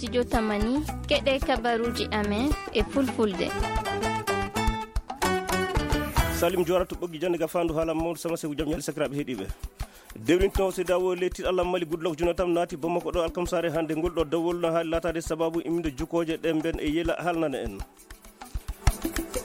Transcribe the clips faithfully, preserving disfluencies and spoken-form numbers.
Studio Tamani, keɗe kabaruji amen e fulfulde. Salim Jora to ɓoggi jannde ga fandu haala mawɗo sama sewu jam ñaali sakiraaɓe heɗiiɓe. Dewrinto C D A O leydi Allah Mali Goodluck Jonathan naati Bamako ɗo alkamsaare hannde. Ngol ɗo dawol no haali laataade sababu imminde jukooje ɗe mben e yela haalnana en.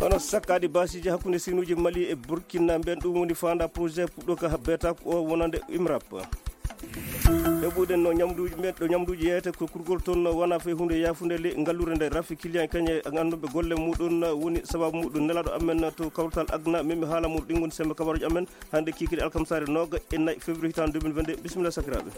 Hono sakkaade baasiiji hakkunde sinuuji Mali e Burkina mben, ɗum woni faanda projet puɗɗo ka beeta ko o wonande imrap. Heɓude no ñamduuji men, ɗo ñamduuji yeeyete ko kurgol toon wona fay huunde yaafunde le ngallure nde rafi client kañe annduɓe golle muɗum woni sababu muɗum. Nelaɗo amen to kawtal agna memi haala muɗum ɗin woni sembe kabaruji amen hannde kikiri alkamsare nooga e nayi février hitande deux mille vingt-deux. Bisimilla sakiraaɓe.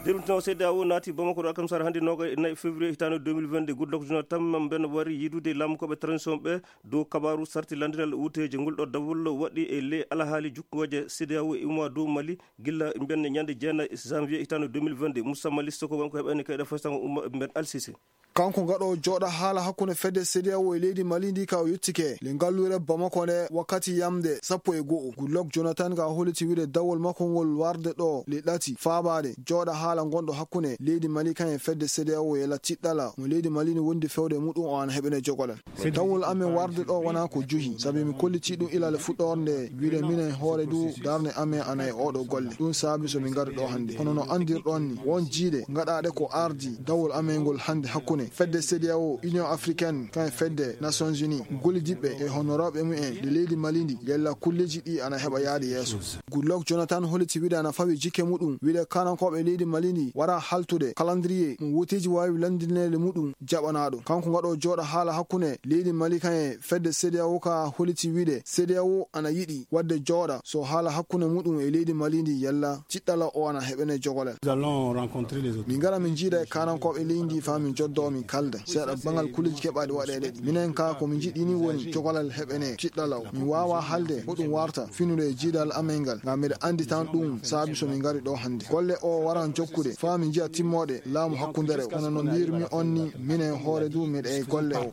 Dewrintino C D A O naati Bamako ɗo alkamsare hannde nooga e nayi février hitande deux mille vingt-deux. Goodluck Jonathan mben wari yidude laamukoɓe transition ɓe dow kabaru sarti landiral wuteeje ngol ɗo dawol waɗi e le alahaali jukkooje C D A O e umma dow Mali gilla mben ñande jeenayi janvier hitande deux mille vingt-deux. Moussa Mali Soko wonko heɓani kayɗe fostango umma mben Alsisi. Kanko gaɗo jooɗa haala hakkunde fedde C D A O e leydi Mali ndi ka o yettike le ngallure Bamako nde wakkati yamde sappo e go'o. Goodluck Jonathan ka holliti wiide dawol makko ngol warde ɗo le ɗati faabaade jooɗa haala ngonɗo hakkunde leydi Mali kan e fedde C D A O e la tiɗɗala mo leydi Mali ni wondi fewde muɗum o ana heɓene jogolal. Dawol amen warde ɗo wona ko juhi, sabi mi kolliti ɗum ilal fuɗɗorde nde, wiide minen hoore du darnde amen ana e oɗo golle. Ɗum saabi so min ngari ɗo hannde. Kono no anndirɗon ni, won jiiɗe ngaɗaaɗe ko ardi dawol amen ngol hannde hakkunde fedde C D A O, Union Africaine, kan e fedde Nations Unies, gollidiɓɓe e honoraaɓe mumen de leydi Mali ndi, yalla kulleji ɗi ana heɓa yaade yeeso. Goodluck Jonathan holliti wiide ana fawi jikke muɗum, wiide kanankooɓe leydi Mali ndi wara haltude calendrier mo woteeji waawi landineede muɗum jaɓanaaɗo. Kanko ngaɗo jooɗa haala hakkunde leydi Mali kan e fedde C D A O ka holliti wiide C D A O ana yiɗi wadde jooɗa so haala hakkunde muɗum e leydi Mali ndi yalla tiɗɗala o ana heɓene jogolal. Nous allons rencontrer les autorités. Min ngara min jiida e kanankooɓe leydi ndi faa min joddo min kalda seeɗa bangal kulleji keɓaaɗi waɗeede ɗi. Minen ka ko min jiɗɗini woni jogolal heɓene tiɗɗala o. Min waawa halde ko ɗum warta finude e jiidal amen ngal. Ngam miɗa anndi tan ɗum saabi so min ngari ɗo hannde. Golle o waran jokkude faa min njiya timmooɗe laamu hakkundere o. Kono no mbirmi on ni, minen hoore du miɗa e golle o.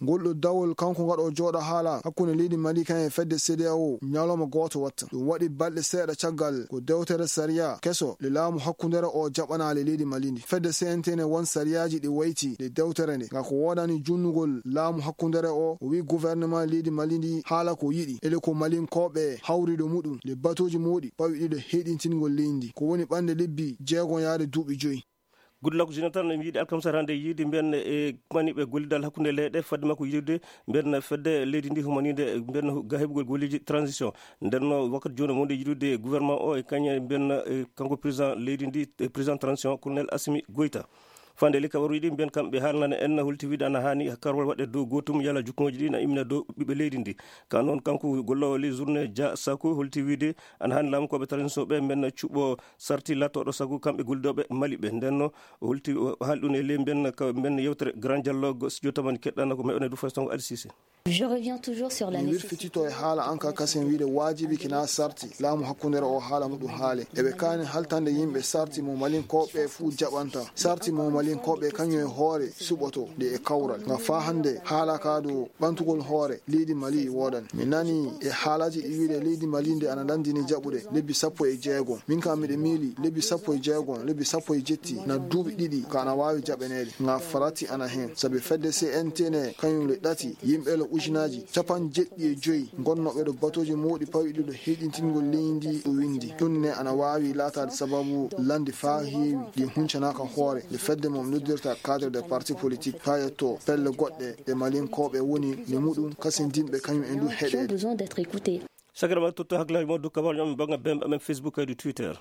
Ngol ɗo dawol kanko ngaɗo jooɗa haala hakkunde leydi Mali kan e fedde C D A O ñalawma gooto watta. Ɗum waɗi balɗe seeɗa caggal ko dewtere sariya keso le laamu hakkundere o jaɓanaale leydi Mali ndi. Fedde C N T ne won sariyaaji ɗi wayti ɗe dewtere nde. Ngam ko woodani junnugol laamu hakkundere o, o wi gouvernement leydi Mali ndi haala ko yiɗi. Ele ko Malinkooɓe hawriɗo muɗum le batooji mawɗi pawi ɗiɗo heyɗintingol leydi ndi. Ko woni ɓannde lebbi jeegon yaade duuɓi joyi. Goodluck Jonathan mi yiɗi alkamsar hannde yiide mbiyan e maniɓe gollidal hakkunde leyɗe fadde makko yiɗude mbiyan fedde leydi ndi humanide mbiyan ga heɓugol golleji transition. Nden no wakkati jooni wonde yiɗude gouvernement o e kañe mbiyan e kanko président leydi ndi e président transition colonel Assimi Goïta. Fande li kabaruji ɗi mbiyan kamɓe haalnana en holti wiide ana haani karwal waɗe dow gootum yala jukkoji ɗi na immina dow ɓiɓɓe leydi ndi. Ka noon kanko gollowo ley journée Dia Sako holti wiide ana haani laamu koɓe transition ɓe mbiyan cuɓo sarti lattooɗo sago kamɓe gollidoɓe Mali ɓe. Nden no holti haali ɗum e ley mbiyan ka mbiyan yewtere Grand Dialogue studio tamani keɗɗana ko meɗen du façon Alsise. Je reviens toujours sur la mi nécessité wirfitito e haala an ka kasen wiide waajibi kina sarti laamu hakkundere o haala muɗum haale eɓe kaani haltande yimɓe sarti mo Malinkooɓe fuu jaɓanta. Sarti mo Malinkooɓe kañum e hoore suɓoto nde e kawral nga faa hannde haala ka dow ɓantugol hoore leydi Mali woodani. Mi nani e haalaji ɗi wiide leydi Mali nde ana landini jaɓude lebbi sappo e jeegon. Min kam miɗe miili lebbi sappo e jeegon, lebbi sappo e jetti na duuɓi ɗiɗi ka ana waawi jaɓaneede. Nga farati ana heen. Sabi fedde C N T ne kañum le ɗati yimɓe le ujunaaji capanɗe jeɗɗi e joyi ngonnooɓe ɗo batooji mawɗi pawiɗi ɗo heyɗintingol leydi ndi o winndi. Ɗum ne ana waawi laataade sababu landi faa heewi ɗi huncanaaka hoore nde fedde mum noddirta cadre des partis politiques faa yetto pelle goɗɗe ɗe Malinkooɓe woni ne muɗum kasindinɓe kañum en du heɗeede. Besoin d'être écoutés. Sakira ma totto hakkilaaji ma dow kabaruji amen bannga bemɓe amen Facebook kadi Twitter.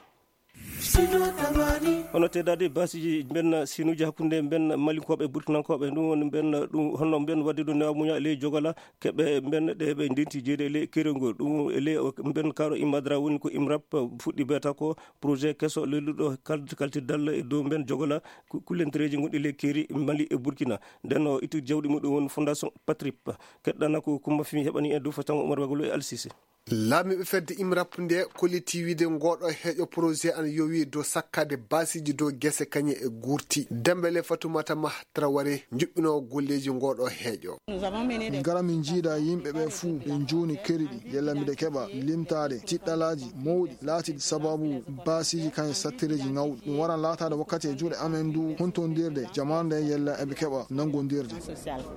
Hono teddade baasiji mbenna sinuji hakkunde mbenna Malinkooɓe e Burkinankooɓe, ɗum woni mbenna ɗum honno mbenna waɗde ɗo newa muña e ley jogala keɓe mbenna ɗe ɓe ndenti jeeyde e ley kerol ngol. Ɗum e ley mbenna kaɗo Imadra woni ko imrap fuɗɗi beeta ko projet keso lelluɗo kalti-, kaltirdal e dow mbenna jogala ku-, kullentereeji gonɗi ley keeri Mali e Burkina. Nden o itti jawɗi muɗum woni Fondation Patrip. Keɗɗana ko Kumba Fimi heɓani en dow fatango Umar Bagolo e Alsise. Laamiiɓe fedde IMRAP nde kolliti wiide ngooɗo heeƴo projet ana yowi dow sakkaade baasiiji dow gese kañe e gurti. Dembele Fatoumata Mah Traoré, njuɓɓinoowo golleeji ngooɗo heeƴo. Min ngara min njiida yimɓe ɓe fuu, ɓe njuuni keri ɗi, yalla miɗe keɓa limtaade tiɗɗalaaji mawɗi laatiiɗi sababu baasiiji kañe sattireeji ŋawɗi. Ɗum waran laataade wakkati e juuɗe amen ndu huntondirde jamaanu nde yalla eɓe keɓa nanngondirde.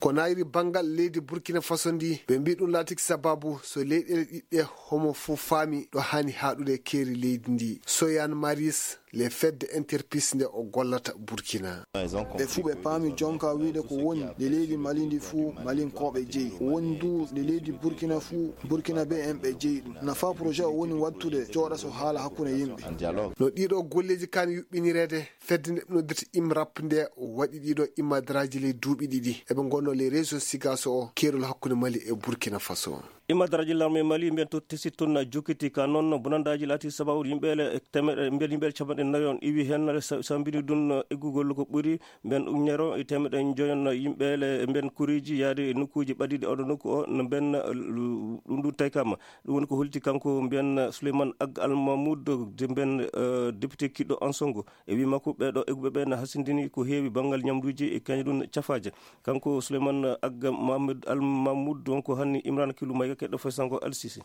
Ko nayri banngal leydi Burkina Faso ndi, ɓe mbii ɗum laatiki sababu so leyɗeele ɗiɗɗe homo fuu faami ɗo haani haaɗude keeri leydi ndi. Soyan Maris, le fedde interpis nde o gollata Burkina. Ɓe fuu ɓe paami jonka wiide ko woni nde leydi Mali ndi fuu Malinkooɓe jeyi. Ko woni ndu nde leydi Burkina fuu Burkina be en ɓe jeyi ɗum. Nafa projet o woni wattude jooɗa so haala hakkunde yimɓe. No ɗiɗo golleeji kaani yuɓɓinireede, fedde nde noddirta IMRAP nde waɗi ɗiɗo imadraaji ley duuɓi ɗiɗi. Eɓe ngonno ley région Sigaso o, keerol hakkunde Mali e Burkina Faso. Imadraaji larme Mali mbiyen to tesi tun na jokkiti ka noon bonandaaji laati sababu yimɓeele e temeɗe, mbiyen yimɓeele capanɗe nayi on iwi heen sa-, sambini ɗum eggugol ko ɓuri mbiyen ujunere e temeɗe joyon yimɓeele mbiyen kuriiji yaade e nokkuuji ɓadiiɗi oɗo nokku o no mbiyen, eh, ɗum ɗum taykama. Ɗum woni ko holti kanko mbiyen Souleymane Ag Al Mahmoud de mbiyen, eh, député kiɗɗo Ansongo. E wii makko, ɓeeɗo egguɓe ɓe na hasindini ko heewi banngal ñamduuji e kañum ɗum cafaaje. Kanko Souleymane Agga Mohamed Al Mahmoud, donc, hanni Imran Kilu Mayga, keɗɗo foy sango Al Sisi.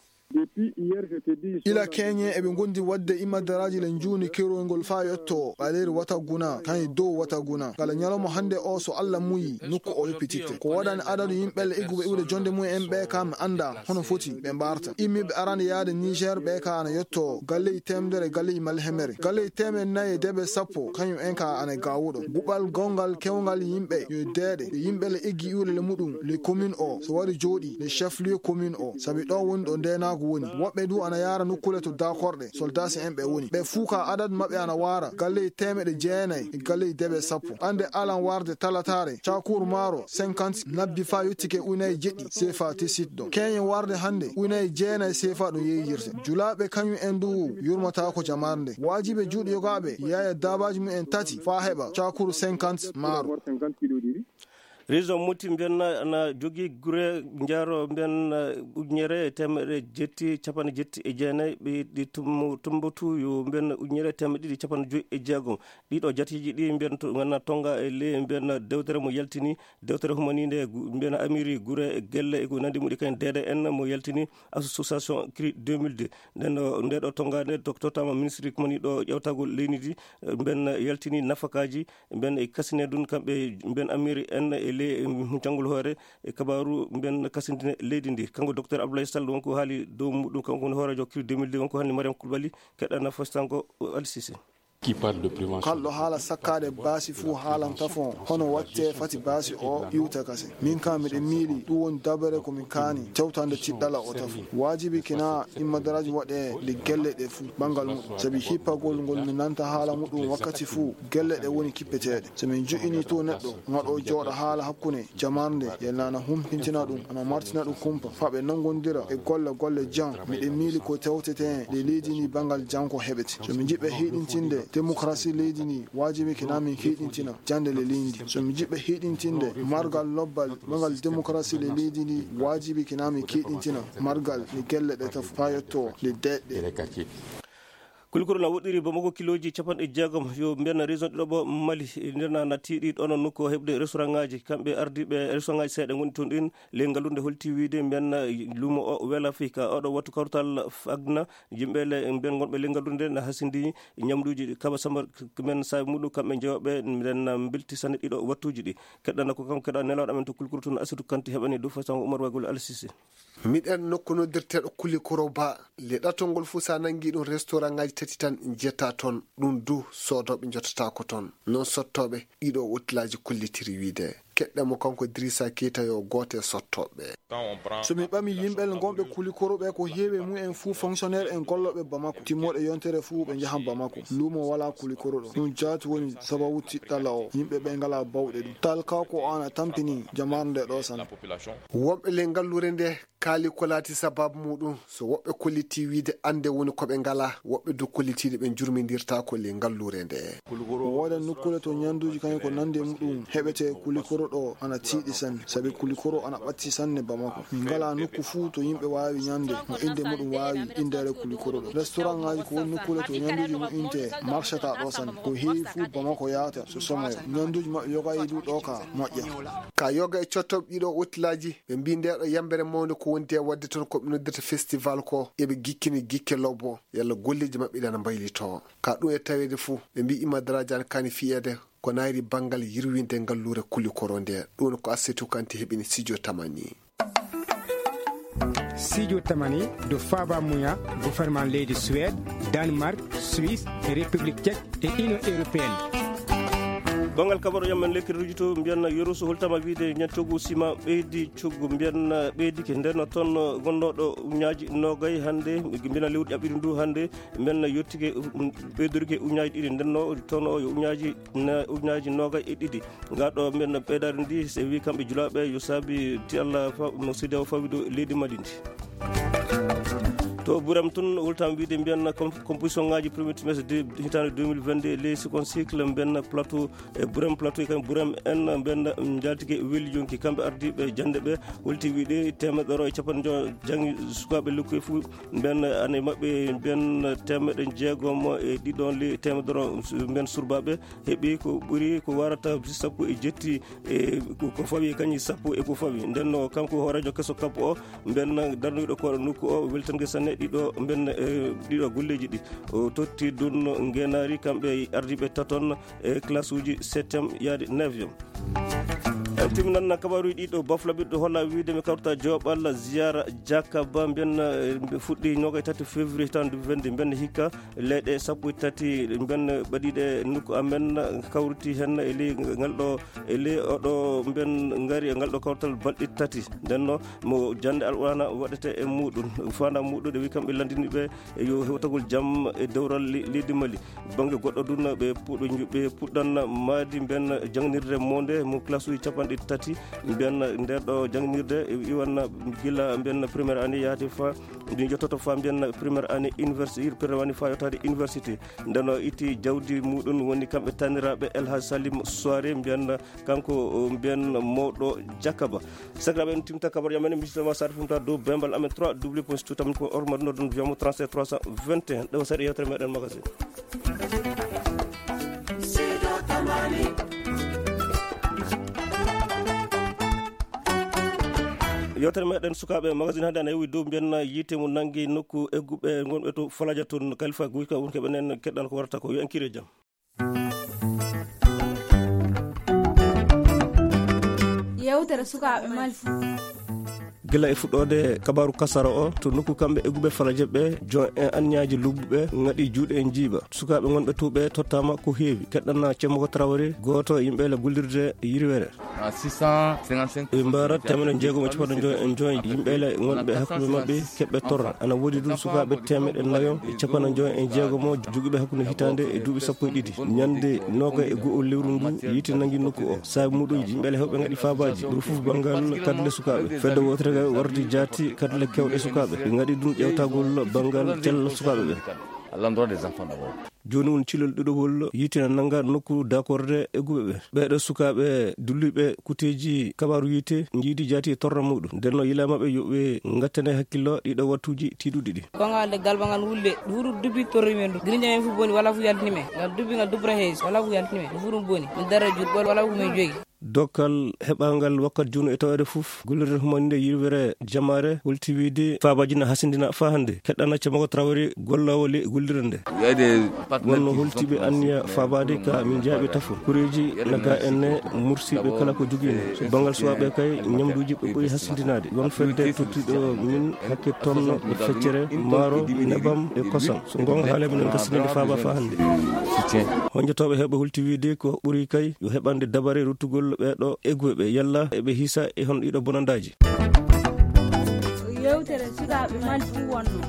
Ila keñe eɓe ngondi waɗde imadaraaji le njuuni kerol ngol faa yotto ɓaleeri wata guna, kañum dow wata guna. Kala ñalawma hannde o, so Alla muyi, nokku o yoppititte. Ko waɗani adadu yimɓe le egguɓe iwde jonde mum en ɓe, kam annda hono foti ɓe mbarta. Immiiɓe arande yaade Niger ɓe ka ana yotto galleeji teemedere, galleeji malhemere, galleeji teemedere nayi e deeɓe sappo, kañum en ka ana gawuɗo. Guɓal gongal kewngal yimɓe yo deeɗe, e yimɓe le eggi iwde le muɗum, le commune o, so wari jooɗi, le chef lieu commune o, sabi ɗo woni ɗo ndeenaagu woni. Woɓɓe du ana yaara nokkule to dakorɗe, soldasi en ɓe woni. Ɓe fuu ka adadu maɓɓe ana waara, galleeji teemedere jeenayi e galleeji deeɓe sappo. Ande alan warde talataare, cakuur maaro, cinquante nabbi faa yottike unaye jeɗɗi sefa tesitɗo. Keñe warde hannde unaye jeenayi sefa ɗum yeeyirte. Julaaɓe kañum en du yurmataako jamaare nde. Waajibe juuɗe yogaaɓe yaaya daabaaji mum en tati faa heɓa cakuur cinquante maaro. Région Moti mbiyen na, na jogii gure njaaro mbiyen, eh, ujunere e teemedere jetti capanɗe jetti e jeenayi, ɓe ɗi tum-, Tumbatu yo mbiyen ujunere e teemedere ɗiɗi capanɗe joyi e jeegom. Ɗiɗo jatiiji ɗi mbiyen to, ngana tonga e ley mbiyen dewtere mo yaltini, dewtere humaninde gu-, mbiyen amiri gure e gelle e ko nandi muɗi kañum D D N mo yaltini association cri deux mille deux. Nden ɗo, nde ɗo tonga nde to-, tottama ministre kumani ɗo ƴewtagol leydi ndi, eh, mbiyen yaltini nafakaaji, mbiyen e kasine ɗum kamɓe, mbiyen amiri en e ley, eh, huncangol hoore e kabaaru mbiyen kasindine leydi ndi. Kanko docteur Abdoulaye Sall wonko haali dow muɗum, kanko woni hooreejo cri deux mille deux, wonko hanni Mariam Koulibaly, keɗɗana fostanko Al Sisi. Kalɗo haala sakkaade baasi fuu haalan tafon hono watte fati baasi o iwta kase. Min ka miɗe miili ɗum woni dabere ko min kaani tewtande tiɗɗala o tafo. Waajibi kina immadaraaji waɗe nde gelle ɗe fuu banngal muɗum. Sabi hippagol ngol mi nanta haala muɗum wakkati fuu gelle ɗe woni kippeteeɗe. So min ju'ini to neɗɗo ngaɗo jooɗa haala hakkunde jamaarnde, yalla ana humpintina ɗum, ana martina ɗum kumpa, faa ɓe nanngondira e golle, golle jam. Miɗen miili ko tewtete e leydi ndi banngal jam ko heɓete. So min njiɗɓe hiɗintinde demokarasi leydi ndi, waajibi kina min hiɗintina jannde le leydi ndi. So min njiɗɓe hiɗintinde margal lobbal, margal demokarasi le leydi ndi, waajibi kina min hiɗintina margal le gelle ɗe tafo faa yotto le deeƴɗe. Kulikoro na woɗɗiri Bamako kilooji capanɗe jeegom, yo mbiyen région ɗiɗo ɓo Mali, nder na, na tiiɗi ɗono nokku o heɓde restaurantŋaaji. Kamɓe ardiiɓe restaurantŋaaji seeɗa ngoni toon ɗin, le ngallude holti wiide mbiyen luumo o Wel Afrika. Oɗo wattu kawtal fagna yimɓe le mbiyen ngonɓe le ngallude na hasindi ñamduuji ɗi. Kaba Sambar k-, men saabi muɗum kamɓe jewɓe mbiyen na mbelti sanne ɗiɗo wattuuji ɗi. Keɗɗana ko kanko keɗa nelawɗo amen to Kulikoro toon Asidu Kanti heɓani dow façon Umar Wagol Al Sisi. Miɗen nokku noddirteeɗo Kulikoro Ba, le ɗatol ngol fuu so a nanngi ɗum restaurantŋaaji tati tan njetta toon, ɗum du soodooɓe njottataako toon. Noon sottooɓe ɗiɗo otelaaji kollitiri wiide. Keɗɗen mo kanko Dirisa Keita yo gooto e sottooɓe. So min ɓami yimɓe ngonɓe Kulikoro ɓe ko heewi mum en fuu fonctionnaire en gollooɓe Bamako. Timmooɗe yontere fuu ɓe njahan Bamako. Luumo walaa Kulikoro ɗo. Ɗum jaati woni sababu tiɗɗala o. Yimɓe ɓe ngalaa bawɗe ɗum. Talka ko o ana tampini jamaanu nde ɗo sanne. Wonɓe le ngalluure nde kaali ko laati sababu muɗum, so woɓɓe kolliti wiide annde woni ko ɓe ngalaa, woɓɓe du kollitiiɗo ɓe njurmindirtaako le ngalluure nde. Wooda nokkuure to ñanduuji kañum ko nandi e muɗum heɓete Kulikoro ɗo ana tiiɗi sanne, sabi Kulikoro ana ɓatti sanne Bamako. Min ngalaa nokku fuu to yimɓe waawi ñande, mo innde muɗum waawi inndeede Kulikoro ɗo. Restaurantŋaaji ko woni nokkuure to ñanduuji moƴƴintee, marchata ɗo sanne. Ko heewi fuu Bamako yaata so somoyo. Ñanduuji maɓɓe yoga e ɗum ɗo ka moƴƴa. Ka yoga e cottoɓe ɗiɗo otelaaji, ɓe mbii nde ɗo yambere mawnde ko wondi e waɗde toon ko ɓe noddata festival ko, eɓe gikkini gikke lobbo, yalla golleeji maɓɓe ɗi ana mbaylitoo. Ka ɗum e taweede fuu, ɓe mbii Imma Daraaji ana kaani fiyeede ko naayri banngal yirwinde ngalluure Kulikoro nde. Ɗum ko Assetu Kanti heɓini Sijo Tamani. Sijo Tamani, ɗo faaba muya, gouvernement leydi Suède, Danemark, Suisse e République Tchèque e Union Européenne. Banngal kabaru yam en lekki rujito mbiyan Yoroso holtama wiide ñan coggu sima ɓeydi coggu mbiyan ɓeydike nden toon gonnooɗo uñaaji noogay hannde mbiyan lewru ƴaɓɓiɗi ndu hannde mbiyan yottike ɓeydorike uñaaji ɗiɗi ndenno toon o yo uñaaji na uñaaji noogay e ɗiɗi. Ngaa ɗo mbiyan ɓeydaari ndi so wi kamɓe julaaɓe yo saabi ti Allah fa no sidi o fawi ɗo leydi Mali ndi. To Burem tun wultam wiide mbiyan composition ngaji premier trimestre de hitaande deux mille vingt-deux les second cycle mbiyan plateau e Burem plateau e kam Burem en mbiyan jaltike weli jonki kamɓe ardiiɓe jannde ɓe wolti wiide temeɗɗe ɗiɗi e capanɗe joy janngi sukaaɓe lekkoy fuu mbiyan ane maɓɓe mbiyan temeɗɗe jeegom e ɗiɗon li temeɗɗe ɗiɗi mbiyan surbaaɓe heɓi ko ɓuri ko warata sappo e jetti e ko fawi kañi sappo e ko fawi ndenno kanko hoorejo keso kabbo o mbenna darnuɗo koɗo nokku o weltange sanne ɗiɗo mbenna e ɗiɗo golleji ɗi o totti dunno ngenari kamɓe ardiɓe taton e classe uji septième yaade neuvième. En timminan kabaruji ɗiɗo bafla ɓiɗɗo holla wiide mi kawta joɓal ziyara jakaba mbenna fuɗɗi ñoga e tati février tan du vingt mbenna hikka leyɗe sappo e tati mbenna ɓaɗiɗe nokku amen kawriti hen e ley ngal ɗo e ley oɗo mben ngari e ngal ɗo kawtal balɗe tati ndenno mo jande alqurana waɗete e muɗum fanda muɗum ɗe wi kamɓe landiniɓe yo hewtagol jam e dewral leydi mali bangge goɗɗo dun ɓe puɗɗo ɓe puɗɗan maadi mben jangnirde monde mo classe uji capanɗe tati mben nder ɗo jangnirde iwanna gila mben première année yaati fa ɗum yettoto fa mbiyanna première année université première année fa yettaade université ndeno itti jawdi muɗum woni kamɓe taniraɓe elhaj salim soiré mbiyanna kanko mbiyan mawɗo jakaba sakiraɓe en timta kabar yamen misitama sar fumta dow bembal amen trois w point stutam ko ormar nodon biyamo trente-sept trois cent vingt et un ɗo saɗa yewtere meɗen magasin. Yewtere meɗen sukaɓe magasin hande ana yewi dow mbiyanna yiite mo nangi nokku egguɓe gonɓe to falaja toon kalifa guyka wonke ɓenen keɗɗal ko warata ko yo en kire jam. Yewtere sukaɓe mali. Gila e fuɗɗode kabaru kasara o to nokku kamɓe egguɓe falaje ɓe jon en anniyaji lubbuɓe gaɗi juuɗe en jiiɓa sukaɓe gonɓe tuɓe tottama ko heewi keɗɗanna cemmoko trawari goto yimɓe le gullirde yirwere. Ɓe mbaara temeɗe jeegom e capanɗe joyi e joyi yimɓe le gonɓe hakkunde maɓɓe keɓɓe torra ana woodi ɗum sukaɓe temeɗe nayo e capanɗe joyi e jeegomo joguiɓe hakkunde hitande e duuɓi sappo e ɗiɗi ñande noga e go'o lewru ndu yiite nangi nokku o saabi muɗum yimɓe le hewɓe gaɗi fabaji ɗum fof banngal kadle sukaɓe fedde wotere wardi jaati kadle kewɗe sukaɓe ɓe gaɗi ɗum ƴewtagol banngal cella sukaɓe ɓe. Jooni woni cilol ɗiɗowol yiite na nannga nokku dakorde e guɓe ɓe ɓeeɗo sukaaɓe dulliiɓe kuteeji kabaaru yiite njiidi jaati e torra muɗum ndenno yila maɓɓe yoɓe ngattane hakkillo ɗiɗo wattuuji tiiɗuɗi ɗi. Kongal de galba ngal wulle ɗuuru dubbi torri men ɗum grinja men fu boni wala fu yaltini men ngal dubbi ngal dubbra hees wala fu yaltini men ɗum fu ɗum boni min dara jur ɓol wala fu men jogi. Dokkal heɓangal wakkat juuno e taweede fof gollirde humaninde yirwere jamaare holti wiide faabaji na hasindina faa hannde keɗɗana camako trawari gollawo le gollirde nde. Wonno holtiiɓe anniya faabaade ka min jaaɓi tafo kureeji na ga enne mursiiɓe kala ko jogiino so banngal suwaaɓe kay ñamduuji ɓe ɓuri hasindinaade won fedde tottiiɗo min hakke tonno e feccere maaro nebam e kosam so ngonga haale minen gastinande faaba faa hannde. Honjotooɓe heɓe holti wiide ko ɓuri kay yo heɓande dabare ruttugol ɓeeɗo egguɓe ɓe yalla eɓe hisa e hon ɗiɗo bonandaaji. Yewtere sukaaɓe mali fuu wonno.